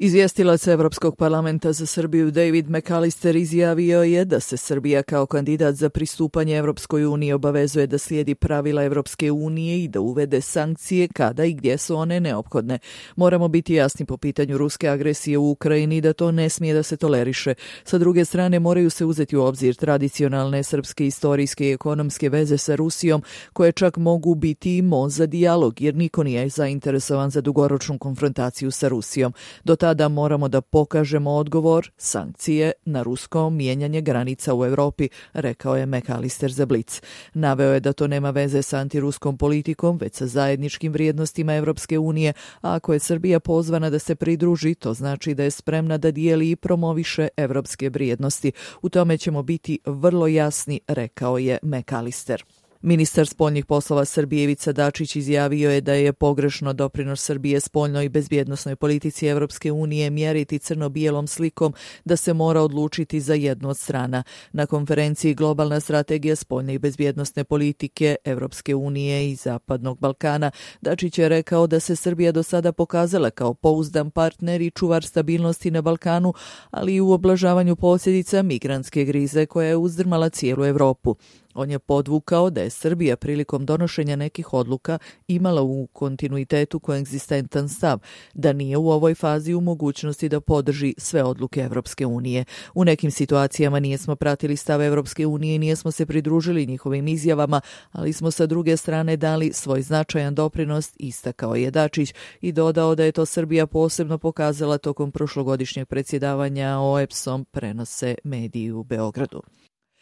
Izvjestilac Evropskog parlamenta za Srbiju David McAllister izjavio je da se Srbija kao kandidat za pristupanje Evropskoj uniji obavezuje da slijedi pravila Evropske unije i da uvede sankcije kada i gdje su one neophodne. Moramo biti jasni po pitanju ruske agresije u Ukrajini da to ne smije da se toleriše. Sa druge strane, moraju se uzeti u obzir tradicionalne srpske istorijske i ekonomske veze sa Rusijom, koje čak mogu biti i most za dijalog, jer niko nije zainteresovan za dugoročnu konfrontaciju sa Rusijom. Do tada moramo da pokažemo odgovor, sankcije na rusko mijenjanje granica u Evropi, rekao je McAllister za Blic. Naveo je da to nema veze sa antiruskom politikom, već sa zajedničkim vrijednostima Evropske unije, a ako je Srbija pozvana da se pridruži, to znači da je spremna da dijeli i promoviše evropske vrijednosti. U tome ćemo biti vrlo jasni, rekao je McAllister. Ministar spoljnih poslova Srbije Ivica Dačić izjavio je da je pogrešno doprinos Srbije spoljnoj i bezbjednosnoj politici Evropske unije mjeriti crno-bijelom slikom da se mora odlučiti za jednu od strana. Na konferenciji Globalna strategija spoljne i bezbjednosne politike Evropske unije i Zapadnog Balkana, Dačić je rekao da se Srbija do sada pokazala kao pouzdan partner i čuvar stabilnosti na Balkanu, ali i u oblažavanju posljedica migrantske krize koja je uzdrmala cijelu Evropu. On je podvukao da je Srbija prilikom donošenja nekih odluka imala u kontinuitetu koegzistentan stav, da nije u ovoj fazi u mogućnosti da podrži sve odluke Evropske unije. U nekim situacijama nijesmo pratili stav Evropske unije i nijesmo se pridružili njihovim izjavama, ali smo sa druge strane dali svoj značajan doprinos, istakao je Dačić i dodao da je to Srbija posebno pokazala tokom prošlogodišnjeg predsjedavanja OEBS-om, prenose mediji u Beogradu.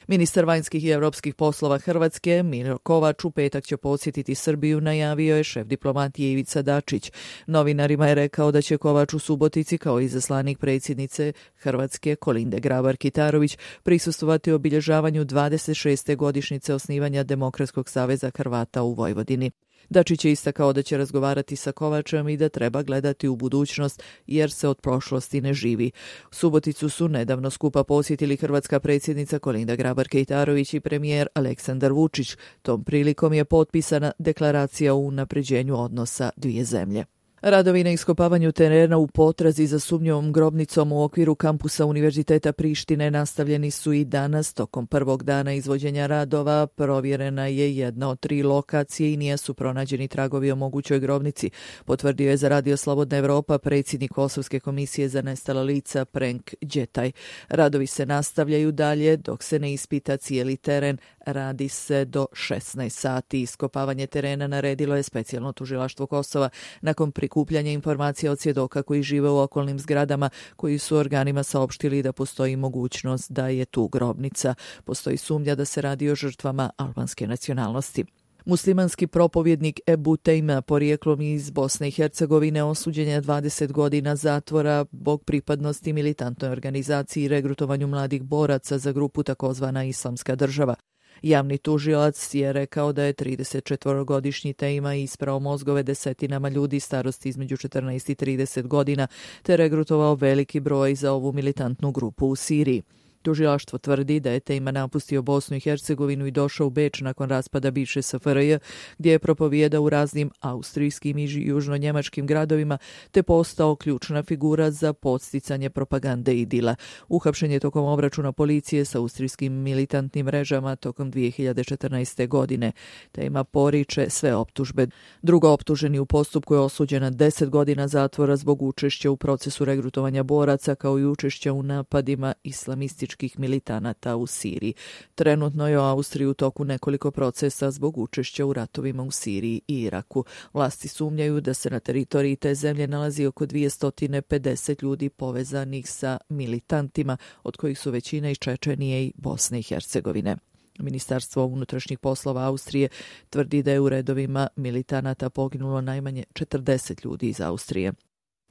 Ministar vanjskih i europskih poslova Hrvatske, Miro Kovač, u petak će posjetiti Srbiju, najavio je šef diplomatije Ivica Dačić. Novinarima je rekao da će Kovač u Subotici, kao izaslanik predsjednice Hrvatske Kolinde Grabar-Kitarović, prisustvovati obilježavanju 26. godišnjice osnivanja Demokratskog saveza Hrvata u Vojvodini. Dačić je istakao da će razgovarati sa Kovačem i da treba gledati u budućnost jer se od prošlosti ne živi. Suboticu su nedavno skupa posjetili hrvatska predsjednica Kolinda Grabar-Kitarović i premijer Aleksandar Vučić. Tom prilikom je potpisana deklaracija o unapređenju odnosa dvije zemlje. Radovi na iskopavanju terena u potrazi za sumnjivom grobnicom u okviru kampusa Univerziteta Prištine nastavljeni su i danas. Tokom prvog dana izvođenja radova provjerena je jedna od 3 lokacije i nisu pronađeni tragovi o mogućoj grobnici, potvrdio je za Radio Slobodna Evropa predsjednik Kosovske komisije za nestala lica Prenk Đetaj. Radovi se nastavljaju dalje dok se ne ispita cijeli teren. Radi se do 16 sati. Iskopavanje terena naredilo je specijalno tužilaštvo Kosova nakon prikupljanja informacija od svjedoka koji žive u okolnim zgradama, koji su organima saopštili da postoji mogućnost da je tu grobnica. Postoji sumnja da se radi o žrtvama albanske nacionalnosti. Muslimanski propovjednik Ebu Tejma, porijeklom iz Bosne i Hercegovine, osuđen je 20 godina zatvora zbog pripadnosti militantnoj organizaciji i regrutovanju mladih boraca za grupu takozvana Islamska država. Javni tužilac je rekao da je 34-godišnji Tejma isprao mozgove desetinama ljudi starosti između 14 i 30 godina te regrutovao veliki broj za ovu militantnu grupu u Siriji. Tužilaštvo tvrdi da je Tejma napustio Bosnu i Hercegovinu i došao u Beč nakon raspada bivše SFRJ, gdje je propovijedao u raznim austrijskim i južno-njemačkim gradovima, te postao ključna figura za podsticanje propagande idila. Uhapšen je tokom obračuna policije sa austrijskim militantnim mrežama tokom 2014. godine. Tejma poriče sve optužbe. Drugo optuženi u postupku je osuđen na 10 godina zatvora zbog učešća u procesu regrutovanja boraca, kao i učešća u napadima islamističkih militanata u Siriji. Trenutno je u Austriji u toku nekoliko procesa zbog učešća u ratovima u Siriji i Iraku. Vlasti sumnjaju da se na teritoriji te zemlje nalazi oko 250 ljudi povezanih sa militantima, od kojih su većina iz Čečenije i Bosne i Hercegovine. Ministarstvo unutrašnjih poslova Austrije tvrdi da je u redovima militanata poginulo najmanje 40 ljudi iz Austrije.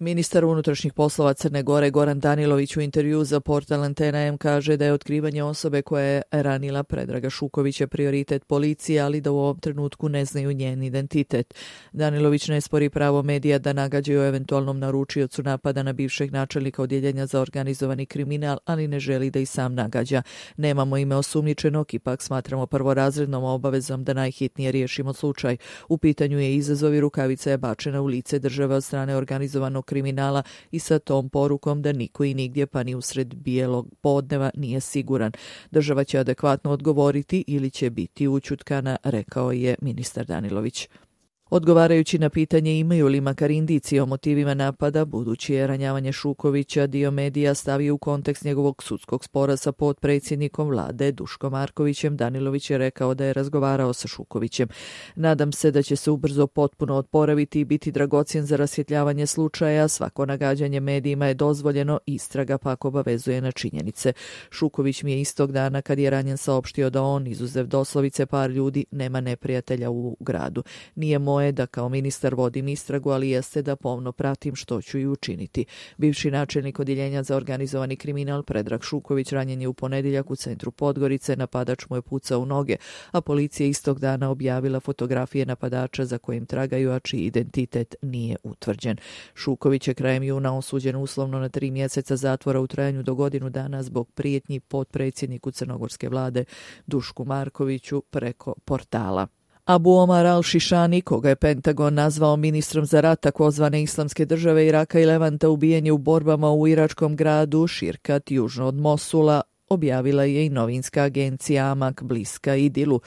Ministar unutrašnjih poslova Crne Gore Goran Danilović u intervju za portal Antena M kaže da je otkrivanje osobe koja je ranila Predraga Šukovića prioritet policije, ali da u ovom trenutku ne znaju njen identitet. Danilović ne spori pravo medija da nagađaju o eventualnom naručiocu napada na bivšeg načelnika odjeljenja za organizovani kriminal, ali ne želi da i sam nagađa. Nemamo ime osumnjičenog, ipak smatramo prvorazrednom obavezom da najhitnije riješimo slučaj. U pitanju je izazov i rukavica je bačena u lice države od strane organizovanog kriminala i sa tom porukom da niko i nigdje pa ni usred bijelog podneva nije siguran. Država će adekvatno odgovoriti ili će biti ućutkana, rekao je ministar Danilović. Odgovarajući na pitanje imaju li makar indicije o motivima napada, budući je ranjavanje Šukovića dio medija stavio u kontekst njegovog sudskog spora sa potpredsjednikom vlade Duškom Markovićem, Danilović je rekao da je razgovarao sa Šukovićem. Nadam se da će se ubrzo potpuno oporaviti i biti dragocjen za rasvjetljavanje slučaja. Svako nagađanje medijima je dozvoljeno, istraga pak obavezuje na činjenice. Šuković mi je istog dana kad je ranjen saopštio da on, izuzev doslovice par ljudi, nema neprijatelja u gradu. Nije moje da kao ministar vodim istragu, ali jeste da pomno pratim što ću i učiniti. Bivši načelnik odjeljenja za organizovani kriminal Predrag Šuković ranjen je u ponedjeljak u centru Podgorice, napadač mu je pucao u noge, a policija istog dana objavila fotografije napadača za kojim tragaju, a čiji identitet nije utvrđen. Šuković je krajem juna osuđen uslovno na 3 mjeseca zatvora u trajanju do godinu dana zbog prijetnji potpredsjedniku crnogorske vlade Dušku Markoviću preko portala. Abu Omar al-Šišani, koga je Pentagon nazvao ministrom za rat takozvane Islamske države Iraka i Levanta, ubijen je u borbama u iračkom gradu Širkat južno od Mosula, objavila je i novinska agencija Amak bliska Idilu.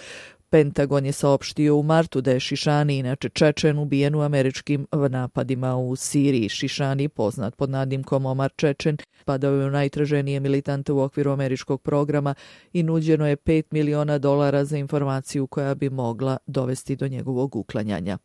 Pentagon je saopštio u martu da je Šišani, inače Čečen, ubijen u američkim napadima u Siriji. Šišani, poznat pod nadimkom Omar Čečen, padao je u najtraženije militante u okviru američkog programa i nuđeno je $5 miliona za informaciju koja bi mogla dovesti do njegovog uklanjanja.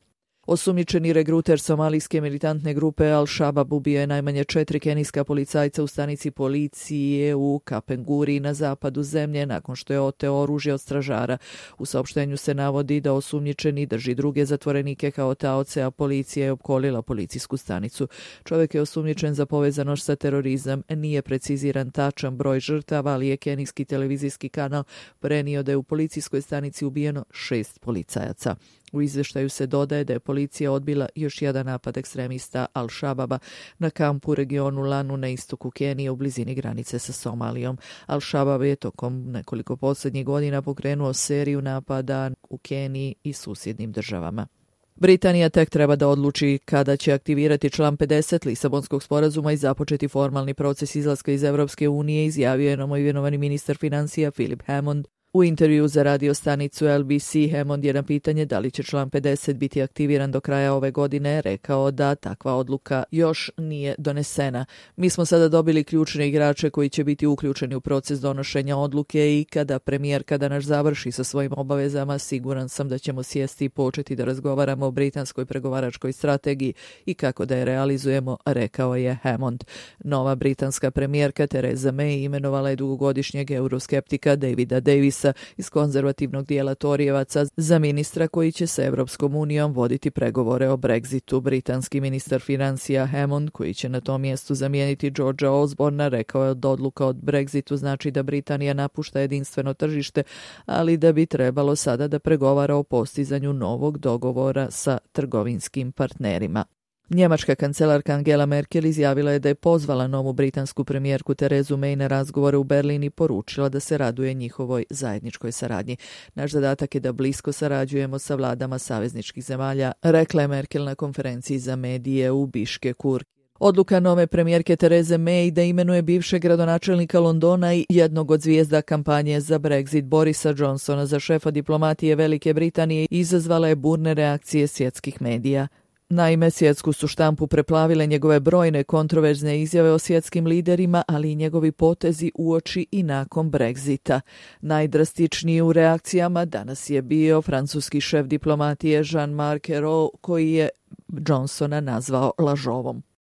Osumnjičeni regruter somalijske militantne grupe Al-Shabaab ubio je najmanje 4 kenijska policajca u stanici policije u Kapenguri na zapadu zemlje nakon što je oteo oružje od stražara. U saopštenju se navodi da osumnjičeni drži druge zatvorenike kao taoce, a policija je opkolila policijsku stanicu. Čovjek je osumnjičen za povezanost sa terorizam. Nije preciziran tačan broj žrtava, ali je kenijski televizijski kanal prenio da je u policijskoj stanici ubijeno 6 policajaca. U izvještaju se dodaje da je policija odbila još jedan napad ekstremista Al-Shababa na kampu u regionu Lanu na istoku Kenije u blizini granice sa Somalijom. Al-Shabab je tokom nekoliko posljednjih godina pokrenuo seriju napada u Keniji i susjednim državama. Britanija tek treba da odluči kada će aktivirati član 50 Lisabonskog sporazuma i započeti formalni proces izlaska iz Europske unije, izjavio je novoimenovani ministar financija Philip Hammond. U intervju za radio stanicu LBC Hammond je na pitanje da li će član 50 biti aktiviran do kraja ove godine rekao da takva odluka još nije donesena. Mi smo sada dobili ključne igrače koji će biti uključeni u proces donošenja odluke i kada premijerka danas završi sa svojim obavezama, siguran sam da ćemo sjesti i početi da razgovaramo o britanskoj pregovaračkoj strategiji i kako da je realizujemo, rekao je Hammond. Nova britanska premijerka Theresa May imenovala je dugogodišnjeg euroskeptika Davida Davisa iz konzervativnog dijela Torijevaca za ministra koji će sa Europskom unijom voditi pregovore o Brexitu. Britanski ministar financija Hammond, koji će na tom mjestu zamijeniti Georgea Osborna, rekao je da odluka o Brexitu znači da Britanija napušta jedinstveno tržište, ali da bi trebalo sada da pregovara o postizanju novog dogovora sa trgovinskim partnerima. Njemačka kancelarka Angela Merkel izjavila je da je pozvala novu britansku premijerku Terezu May na razgovore u Berlin i poručila da se raduje njihovoj zajedničkoj saradnji. Naš zadatak je da blisko sarađujemo sa vladama savezničkih zemalja, rekla je Merkel na konferenciji za medije u Biškeku. Odluka nove premijerke Therese May da imenuje bivšeg gradonačelnika Londona i jednog od zvijezda kampanje za Brexit Borisa Johnsona za šefa diplomatije Velike Britanije izazvala je burne reakcije svjetskih medija. Naime, svjetsku su štampu preplavile njegove brojne kontroverzne izjave o svjetskim liderima, ali i njegovi potezi uoči i nakon Brexita. Najdrastičniji u reakcijama danas je bio francuski šef diplomatije Jean-Marc Ayrault, koji je Johnsona nazvao lažovom.